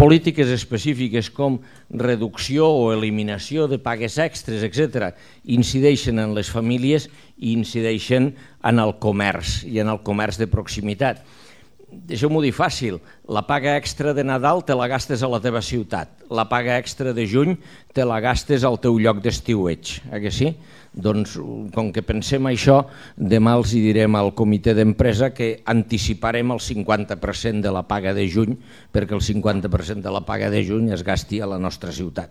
polítiques específiques com reducció o eliminació de pagues extres, etc., incideixen en les famílies i incideixen en el comerç i en el comerç de proximitat. Deixeu-m'ho dir fàcil, la paga extra de Nadal te la gastes a la teva ciutat, la paga extra de juny te la gastes al teu lloc d'estiueig, que sí? Doncs com que pensem això, demà els direm al comitè d'empresa que anticiparem el 50% de la paga de juny perquè el 50% de la paga de juny es gasti a la nostra ciutat.